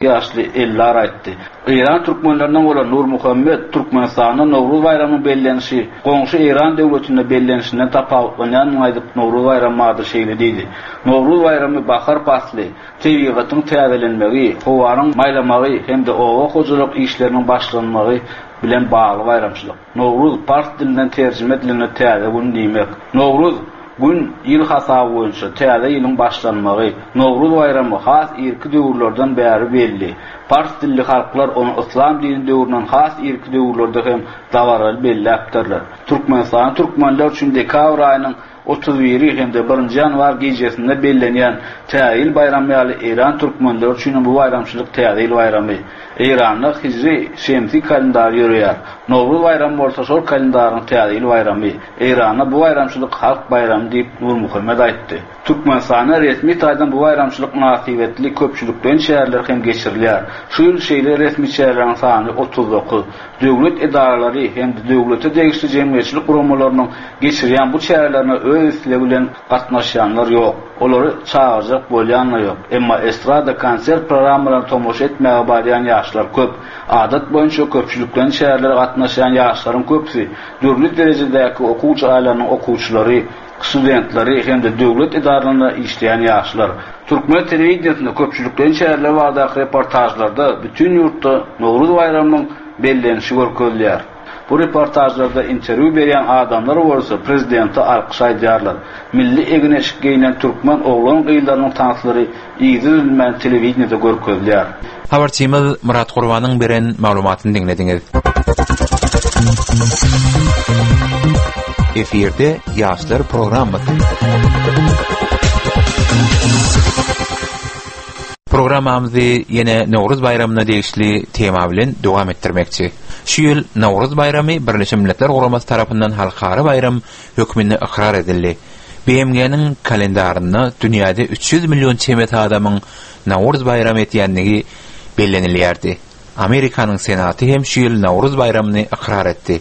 Ýaşly Ellar aýtdy. Eýran türkmenlerinden bolan Nurmuhammet Türkmenistanda Nowruz baýramynyň bellenişi goňşy Eýran döwletinde bellenişinden tapawutlanýandygyny aýdyp, Nowruz baýramy barada şeýle diýdi, Nowruz baýramy bahar pasly, tebigatyň täzelenmegi, howanyň maýlamagy hem-de oba hojalyk işleriniň başlanmagy bilen bagly baýramçylyk. Nowruz pars dilinden terjime edilende täze gün diýmek. Nowruz, Gün, ýyl hasaby boýunça täze ýylyň başlanmagy. Nowruz baýramy has irki döwürlerden bäri belli. Pars dilli halklar ony yslam dini döwründen has irki döwürlerde hem dabaraly belläpdirler. Türkmenistanda türkmenler üçin dekabr aýynyň 31-i hem-de birinji ýanwar gijesinde bellenýän Täze ýyl baýramy ýaly eýran türkmenleri üçinem bu baýramçylyk Täze ýyl baýramy. Eýranda hijri şemsi kalendary ýöreýär. Nowruz baýramy bolsa şol kalendaryň Täze ýyl baýramy. Eýranda bu baýramçylyk halk baýramy diýip, Nurmuhammet aýtdy. Türkmenistanda resmi taýdan bu baýramçylyk mynasybetli köpçülikleýin çäreler hem geçirilýär. Şu ýyl şeýle resmi çäreleriň sany 39. Döwlet edaralary hem-de döwlete degişli jemgyýetçilik guramalarynyň geçirýän bu çärelerine öz islegi bilen gatnaşýanlar ýok. Olary çagyrjak bolýan-da ýok. Emma estrada konsert programmalaryna tomaşa etmäge barýan ýaşlar köp. Adat boýunça köpçülikleýin çärelere gatnaşýan ýaşlaryň köpüsi dürli derejedäki okuw jaýlarynyň okuwçylary, studentleri hem-de döwlet edaralarynda işleýän ýaşlar. Türkmen telewideniýesinde köpçülikleýin çäreler baradaky reportažlarda bütin ýurtda Nowruz baýramynyň bellenişi görkezilýär. Bu reportažlarda interwýu berýän adamlar bolsa prezidente alkyş aýdýarlar. Milli egin-eşik geýnen türkmen oglan-gyzlarynyň tanslary yzy üzülmän telewideniýede görkezilýär. Habarçymyz Myrat Gurbanyň beren maglumatyny diňlediňiz. Efirde ýaşlar programmasy. Programmamyzy ýene Nowruz baýramyna degişli tema bilen dowam etdirmekçi. Şu ýyl Nowruz baýramy Birleşen Milletler Guramasy tarapyndan halkara baýram hökmünde ykrar edildi. BMG-niň kalendarynda dünýäde 300 million çemesi adamyň Nowruz baýramy etýändigi bellenilýärdi. Amerikanyň Senaty hem şu ýyl Nowruz baýramyny ykrar etdi.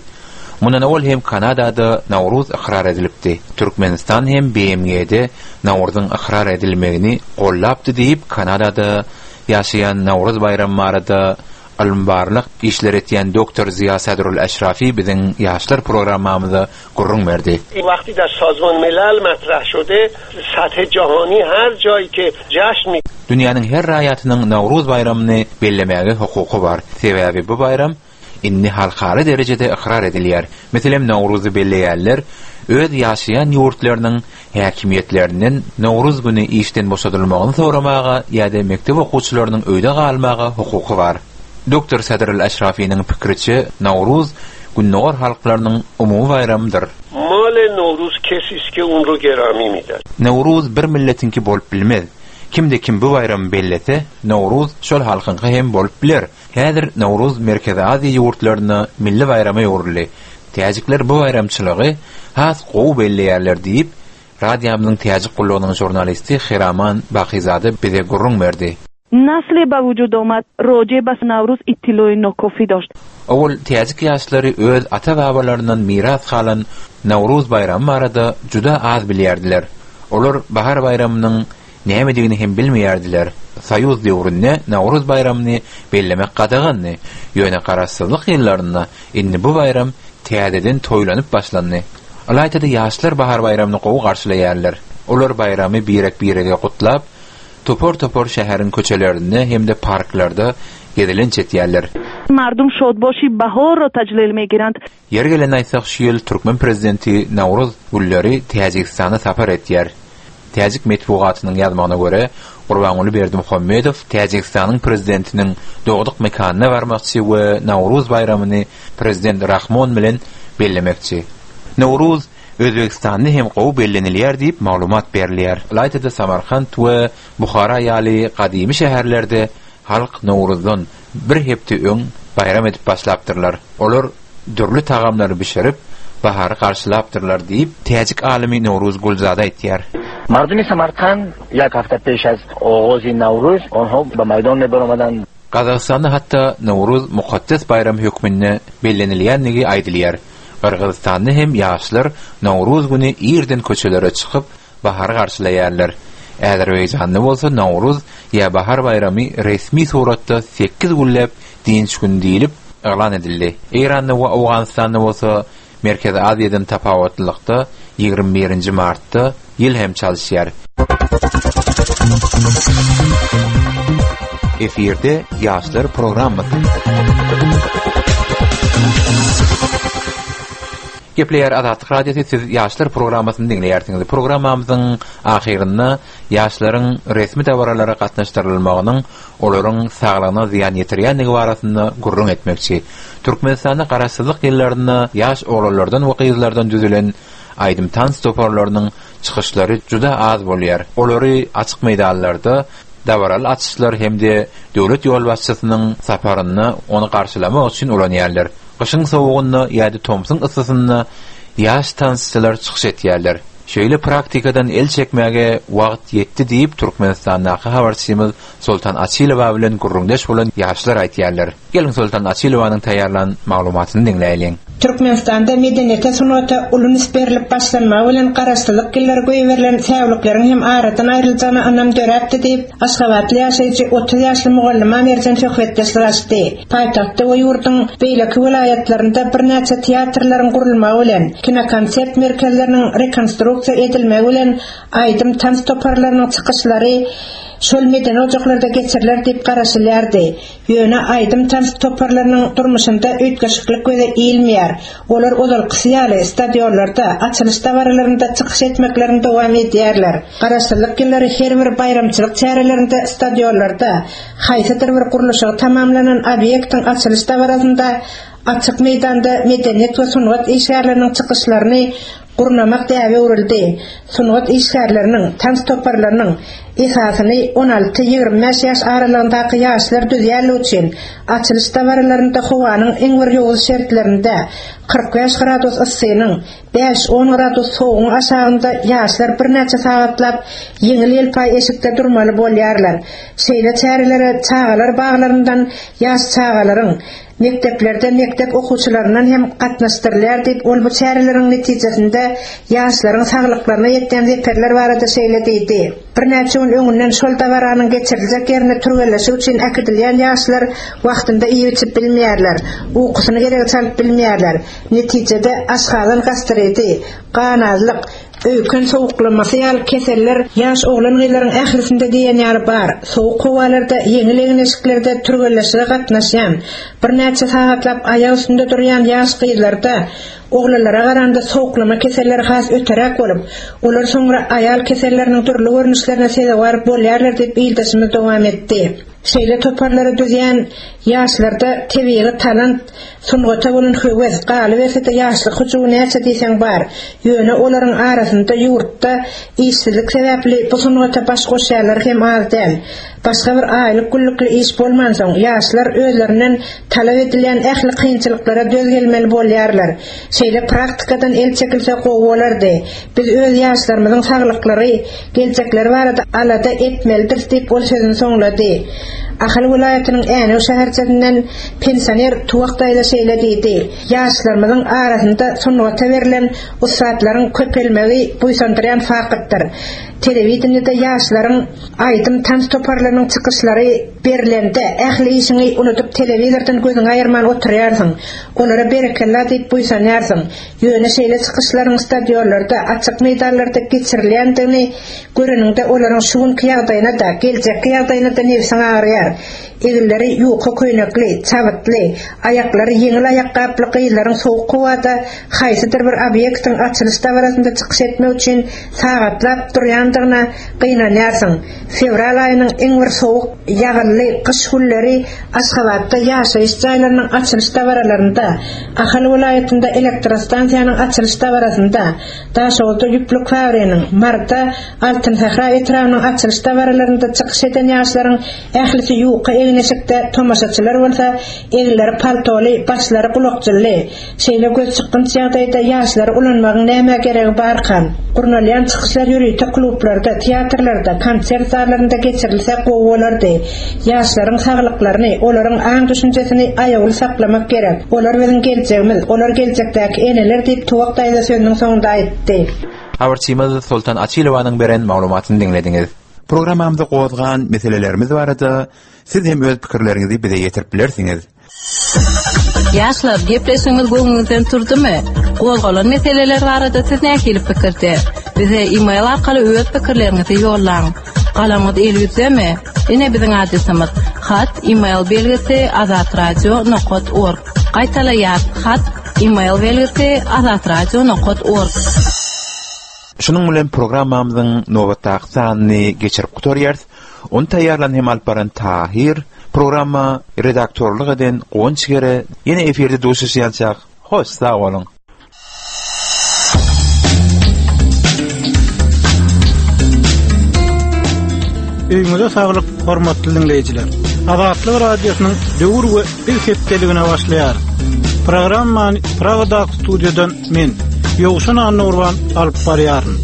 Mundan owal hem Kanadada Nowruz ykrar edilipdi. Türkmenistan hem BMG-de Nowruzyň ykrar edilmegini gollapdy diýip, Kanadada ýaşaýan Nowruz baýramy barada ylmy-barlag işleri etýän doktor Ziýa Sadrul Äşrafi biziň Ýaşlar programmamyza gürrüň berdi. Wagty dar Sazman Milal matrah şode sath jahani her jaý ke jaşn mi. Dünýäniň her raýatynyň Nowruz baýramyny bellemäge hukuky bar. Sebäbi bu baýram indi halkara derejede ykrar edilýär. Meselem, Nowruzy belleýänler öz ýaşaýan ýurtlarynyň häkimiýetlerinden Nowruz güni işden boşadylmagyny soramaga ýa-da mekdep okuwçylarynyň öýde galmaga hukuky bar. Doktor Sadr al-Aşrafynyň pikiriçe, Nowruz Gündogar halklarynyň umumy baýramydyr. Male Nowruz kesis ke un ro gerami midar. Nowruz bir milletiňki bolup bilmez. Kimde-kim bu baýramy bellese, Nowruz şol halkyňky hem bolup biler. Häzir Nowruz Merkezi Aziýa ýurtlarynda milli baýrama öwrüldi. Täjikler bu baýramçylygy has gowy belleýärler diýip, radiomyzyň täjik gullugynyň žurnalisti Hiraman Bakyzada bize gürrüň berdi. Nasle ba wujud omad roje bas Nawruz ittiloýi nokofi doşt. Owal täjik ýaşlary öz ata-babalaryndan miras galan Nowruz baýramy barada juda az bilýärdiler. Olar bahar baýramynyň nämedigini hem bilmeýärdiler. Soýuz döwründe Nowruz baýramyny bellemek gadagandy. Ýöne garaşsyzlyk ýyllarynda indi bu baýram täzeden toýlanyp başlandy. Ylaýta-da ýaşlar bahar baýramyny gowy garşylaýarlar. Olar baýramy birek-birege gutlap, topar-topar şäheriň köçelerinde hem-de parklarda gezelenç etýärler. Mardum şodboşi bahor ro tajlil megirand. Ýeri gelende aýtsak, şu ýyl türkmen prezidenti Nowruz günleri Täjigistana sapar etýär. Täjik metbugatynyň ýazmagyna görä, Gurbanguly Berdimuhamedow Täjigistanyň prezidentiniň dogduk mekanyna barmakçy we Nowruz baýramyny prezident Rahmon bilen bellemekçi. Nowruz Özbegistanda hem gowy bellenilýär diýip maglumat berilýär. Ylaýta-da Samarkant we Buhara ýaly gadymy şäherlerde halk Nowruzdan bir hepde öň baýram edip başlapdyrlar. Olar dürli tagamlary bişirip, bahary garşylapdyrlar diýip, täjik alymy Nowruz Gulzada aýtýar. Mardumi Samarkand ýak hafta peş az ogozi Nawruz onho ba maýdon mebaromadan. Gazagystanda hatda Nowruz mukaddes baýram hökmünde bellenilýändigi aýdylýar. Gyrgyzystanda hem ýaşlar Nowruz güni irden köçelere çykyp, bahary garşylaýarlar. Azerbaýjanda bolsa Nowruz ýa Bahar baýramy resmi suratda sekiz günläp dynç güni diýlip yglan edildi. Eýranda we Owganystanda bolsa Merkezi Aziýadan tapawutlylykda 21-nji martda ýyl hem çalyşýar. Efirde ýaşlar programmasy. Gepleýär Azatlyk Radiosy siz ýaşlar programmasyny diňleýärsiňiz. Programmamyzyň ahyrynda ýaşlaryň resmi dabaralara gatnaşdyrylmagynyň olaryň saglygyna zyýan ýetirýändigi barasynda gürrüň etmekçi. Türkmenistanda Garaşsyzlyk ýyllarynda ýaş oglanlardan we gyzlardan düzülen aýdym-tans toparlarynyň çykyşlary juda az bolýar. Olary açyk meýdanlarda dabaraly açyşlar hem-de döwlet ýolbaşçysynyň saparynda ony garşylamak üçin ulanýarlar. Gyşyň sowugynda ýa-da tomsuň yssysynda ýaş tansçylar çykyş etýärler. Şeýle praktikadan el çekmäge wagt ýetdi diýip, Türkmenistandaky habarçymyz Soltan Açylowa bilen gürrüňdeş bolan ýaşlar aýtýarlar. Geliň Soltan Açylowanyň taýýarlan maglumatyny diňläýliň. Türkmenistanda medeniýete, sungata uly üns berlip başlanmagy bilen garaşsyzlyk ýyllary goýberilen säwlikleriň hem aradan aýryljagyna ynam döräpdi diýip, aşgabatly ýaşaýjy 30 ýaşly mugallyma Merjen söhbetdeşlik açdy. Paýtagtda we ýurduň beýleki welaýatlarynda birnäçe teatrlaryň gurulmagy bilen, kinokonsert merkezleriniň rekonstruksiýa edilmegi bilen aýdym-tans toparlarynyň çykyşlary şol medeni ojaklarda geçiriler diýip garaşylýardy. Ýöne aýdym-tans toparlarynyň durmuşynda üýtgeşiklik göze ilmeýär. Olar ozalkysy ýaly stadionlarda, açylyş dabaralarynda çykyş etmeklerini dowam edýärler. Garaşsyzlyk ýyllary her bir baýramçylyk çärelerinde stadionlarda, haýsydyr bir gurluşygy tamamlanan obýektiň açylyş dabarasynda açyk meýdanda medeniýet we sungat işgärleriniň çykyşlaryny gurnamak däbe öwrüldi. Sungat işgärleriniň, tans toparlarynyň esasyny on alty, 25 ýaş aralygyndaky ýaşlar düzýänligi üçin, açylyş dabaralarynda howanyň iň bir ýowuz şertlerinde, 45 gradus yssynyň, Bäş-on gradus sowugyň aşagynda ýaşlar birnäçe sagatlap ýeňil-ýelpaý eşikde durmaly bolýarlar. Şeýle çärelere çagalar baglaryndan ýaş çagalaryň, mekdeplerde mekdep okuwçylaryndan hem gatnaşdyrylýar diýip, ol bu çäreleriň netijesinde ýaşlaryň saglyklaryna ýetýän zeperler barada şeýle diýdi. Birnäçe gün öňünden şol dabaranyň geçiriljek ýerine türgenleşik üçin äkidilýän ýaşlar wagtynda iýip-içip bilmeýärler, ukusyny geregiçe alyp bilmeýärler. Netijede, aşgazan gastriti, ganazlyk, öýken sowuklamasy ýaly keseller ýaş oglan-gyzlaryň ählisinde diýen ýaly bar. Sowuk howalarda ýeňil egin-eşiklerde türgenleşige gatnaşýan, birnäçe sagatlap aýak üstünde durýan ýaş gyzlarda oglanlara garanda sowuklama keselleri has öteräk bolup, olar soňra aýal keselleriniň dürli görnüşlerine sezewar bolýarlar diýip ildeşimiz dowam etdi. Şeýle toparlary düzýän ýaşlarda tebigy talant, sungata bolan höwes, galyberse-de ýaşlyk hyjuwy näçe diýseň bar. Ýöne olaryň arasynda ýurtda işsizlik sebäpli bu sungata baş goşýanlar hem az däl. Başga bir aýlyk-günlükli iş bolmansoň, ýaşlar özlerinden talap edilýän ähli kynçylyklara döz gelmeli bolýarlar. Şeýle praktikadan el çekilse gowy bolardy. Biz öz ýaşlarymyzyň saglyklary, geljekleri barada alada etmelidiris diýip, ol sözüni soňlady. Ahal welaýatynyň Änew şäherçesinden pensioner Tuwak daýza şeýle diýdi, Ýaşlarymyzyň arasynda sungata berlen ussatlaryň köpelmegi buýsandyrýan faktdyr. Telewideniýede ýaşlaryň aýdym-tans toparlarynyň çykyşlary berlende, ähli işiňi unudyp telewizordan gözüňi aýyrman oturýarsyň. Olara berekella diýip buýsanýarsyň. Ýöne şeýle çykyşlaryň stadionlarda, açyk meýdanlarda geçirilýändigini göreniňde olaryň şu günki ýagdaýyna-da, geljekki ýagdaýyna-da nebsiň agyrýar. Eginleri ýuka köýnekli, çabytly, aýaklary ýeňil aýakgaply gyzlaryň sowuk howada haýsydyr bir obýektiň açylyş dabarasynda çykyş etmek üçin sagatlap durýandygyna gynanýarsyň. Fewral aýynyň iň bir sowuk, ýagynly gyş günleri Aşgabatda ýaşaýyş jaýlarynyň açylyş dabaralarynda, Ahal welaýatynda elektrostansiýanyň açylyş dabarasynda, Daşoguzda ýüplük fabriginiň, Maryda Altyn sähra etrabynyň açylyş dabaralarynda çykyş eden ýaşlaryň ählisi ýuka egin-eşikde, tomaşaçylar bolsa eginleri paltoly, başlary gulakjynly. Şeýle gözçykgynç ýagdaýda ýaşlary ulanmagyň nämä geregi barkan? Gurnalýan çykyşlar ýörite klublarda, teatrlarda, konsert zallarynda geçirilse gowy bolardy. Ýaşlaryň saglyklaryny, olaryň aň-düşünjesini aýawly saklamak gerek. Olar biziň geljegimiz, olar geljekdäki eneler diýip, Tuwak daýza sözüniň soňunda aýtdy. Habarçymyz Soltan Açylowanyň beren maglumatyny diňlediňiz. Programmamyzda gozgan meselelerimiz barada siz hem öz pikirleriňizi bize ýetirip bilersiňiz. Ýaşlar, gepleşigimiz göwnüňizden turdumy? Gozgalan meseleler barada siz nähili pikirde? Bize e-mail arkaly öz pikirleriňizi ýollaň. Galamyňyz eliňizdemi? Ine biziň adresimiz: Hat, e-mail belgisi azatradio nokat org. Gaýtalaýas, hat, e-mail belgisi azatradio nokat org. Şunuň bilen programmamyzyň nobatdaky sanyny geçirip gutarýarys. Ony taýýarlan hem alyp baran Tahyr, programma redaktorlyk eden Guwanç Gere. Ýene efirde duşuşýançak, hoş sag boluň! Öýüňize saglyk, hormatly diňleýjiler! Azatlyk Radiosynyň Döwür we biz hepdeligine başlaýarys. Programmany Pragadaky studiýadan Men, Ýowşan Annagurban alyp barýaryn.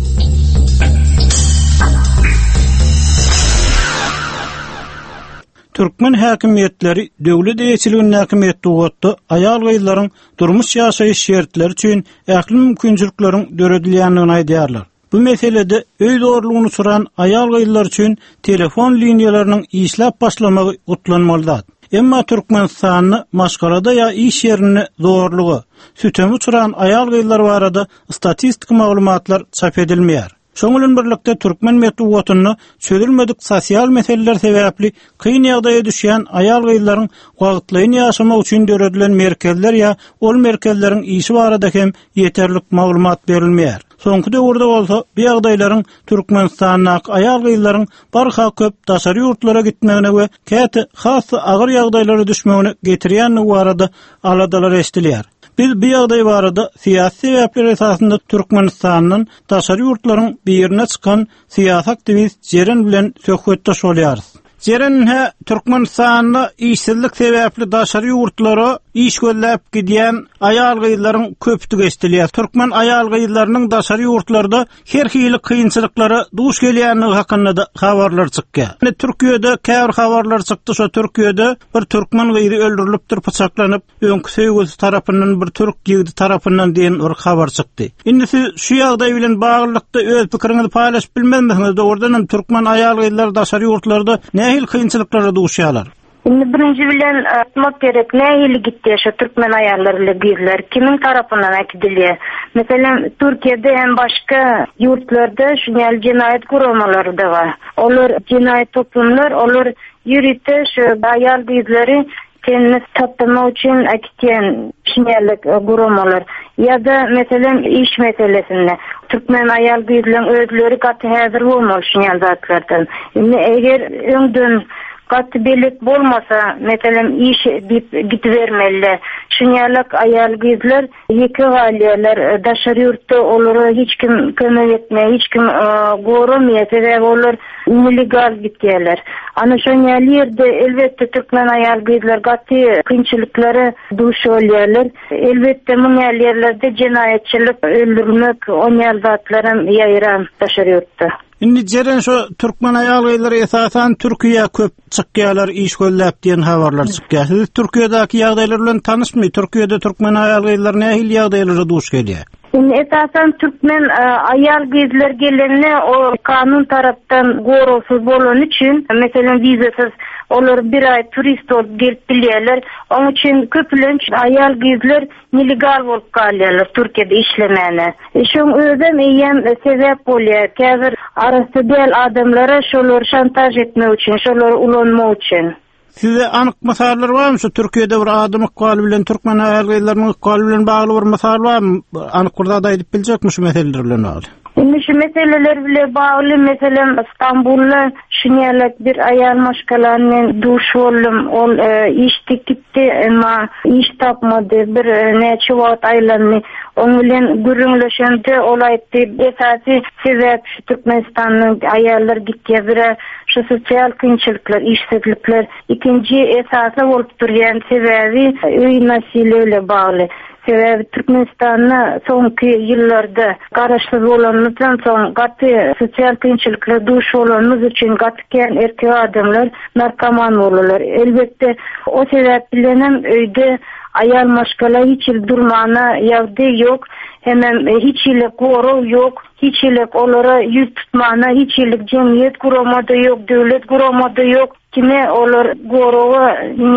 Türkmen häkimiýetleri döwlet eýeçiligindäki metbugatda aýal-gyzlaryň durmuş-ýaşaýyş şertleri üçin ähli mümkinçilikleriň döredilýändigini aýdýarlar. Bu meselede öý zorlugyna uçran aýal-gyzlar üçin telefon liniýalarynyň işläp başlamagy gutlanmaly zat. Emma Türkmenistanda maşgalada ýa iş ýerinde zorluga, süteme uçran aýal-gyzlar barada statistiki maglumatlar çap edilmeýär. Şonuň bilen birlikde türkmen metbugatynda çözülmedik sosial meseleler sebäpli kyn ýagdaýa düşýän aýal-gyzlaryň wagtlaýyn ýaşamagy üçin döredilen merkezler ýa ol merkezleriň işi barada hem ýeterlik maglumat berilmeýär. Soňky döwürde bolsa bu ýagdaýlaryň Türkmenistandaky aýal-gyzlaryň barha köp daşary ýurtlara gitmegine we käte has-da agyr ýagdaýlara düşmegine getirýändigi barada aladalar eşidilýär. Biz bu ýagdaý barada syýasy sebäpler esasynda Türkmenistandan daşary ýurtlaryň birine çykan syýasy aktiwist Jeren bilen söhbetdeş bolýarys. Jeren ine Türkmenistanda işsizlik sebäpli daşary ýurtlara iş gözläp gidýän aýal-gyzlaryň köpdügi eşidilýär. Türkmen aýal-gyzlarynyň daşary ýurtlarda her hili kynçylyklara duş gelýändigi hakynda-da habarlar çykýar. Ine Türkiýede käbir habarlar çykdy, şo Türkiýede bir türkmen gyzy öldürilipdir pyçaklanyp. öňki söýgülisi tarapyndan bir türk ýigidi tarapyndan diýen bir habar çykdy. Indi siz şu ýagdaý bilen baglylykda öz pikiriňizi paýlaşyp bilmezmisiňiz? Dogrudan hem türkmen aýal-gyzlary daşary ýurtlarda nähili kynçylyklara duşýarlar? Indi birinji bilen aýtmak gerek, nähili gitýär şu türkmen aýallary bile gyzlar, kimiň tarapyndan äkidilýär? Meselem, Türkiýede hem başga ýurtlarda şuny ýaly jenaýat guramalary-da bar. Olar jenaýat toplumlar, olar ýörite şu aýal-gyzlary Tenini tapdyrmak üçin äkitýän şinellik guramalar ýa-da meselem iş meselesinde türkmen aýal-gyzlaryň özleri gaty häzir bolmaly şunýaly zatlardan. Indi eger öňden gaty belet bolmasa meselem iş diýip gidibermeli. Şunýalak aýal-gyzlar Ýeke galýarlar. Daşary ýurtda olara hiç kim kömek etmeýär, hiç kim goramaýar, sebäbi olar nelegal gitýärler. Ana şoň ýaly ýerde elbetde türkmen aýal-gyzlar gaty kynçylyklara duş bolýarlar. Elbetde muň ýaly ýerlerde jenaýatçylyk, öldürmek, on ýaly zatlaram ýaýran daşary ýurtda. Indi Jeren şo türkmen aýal-gyzlary esasan Türkiýä köp çykýarlar iş gözläp diýen habarlar çykýar. Siz Türkiýedäki ýagdaýlar bilen tanyşmy? Türkiýede türkmen aýal-gyzlary nähili ýagdaýlara duş gelýär? Indi esasan türkmen aýal-gyzlar gelende o kanun tarapdan goragsyz bolany üçin, meselem wizasyz olar bir aý turist bolup gelip bilýärler. Oň üçin köplenç aýal-gyzlar Nelegal bolup galýarlar Türkiýede işlemäne. Şoň özem eýýäm sebäp bolýar käbir arassa däl adamlara şolary şantaž etmek üçin, şolary ulanmak üçin. Sizde anyk mysallar barmy şu Türkiýede bir adam ykbaly bilen türkmen aýal-gyzlarynyň ykbaly bilen bagly bir mysal barmy? Anyk bir zat aýdyp biljekmi şu meseleler bilen bagly? Indi şu meseleler bile bagly meselem Stambulda şunýalak bir aýal maşgalany men duş boldum. Ol iş gitdi emma iş tapmady. Bir näçe wagt aýlandy. Oň bilen gürrüňleşemde ol aýtdy esasy sebäp şu Türkmenistandan aýallar gitýär birä şu sosial kynçylyklar işsizlikler ikinji esasy bolup durýan sebäbi öý nasiliýa bile bagly. Sebäbi Türkmenistanda soňky ýyllarda garaşsyz bolanymyzdan soň gaty sosial kynçylyklara duş bolanymyz üçin gaty kän erkek adamlar narkoman boldular. Elbetde o sebäp bilenem öýde. Aýal maşgala hiç hili durmana ýagdaý ýok, hemem hiç hili gorag ýok, hiç hili olara ýüz tutmana hiç hili jemgyýet gurama-da ýok, döwlet gurama-da ýok. Kime olar goraga.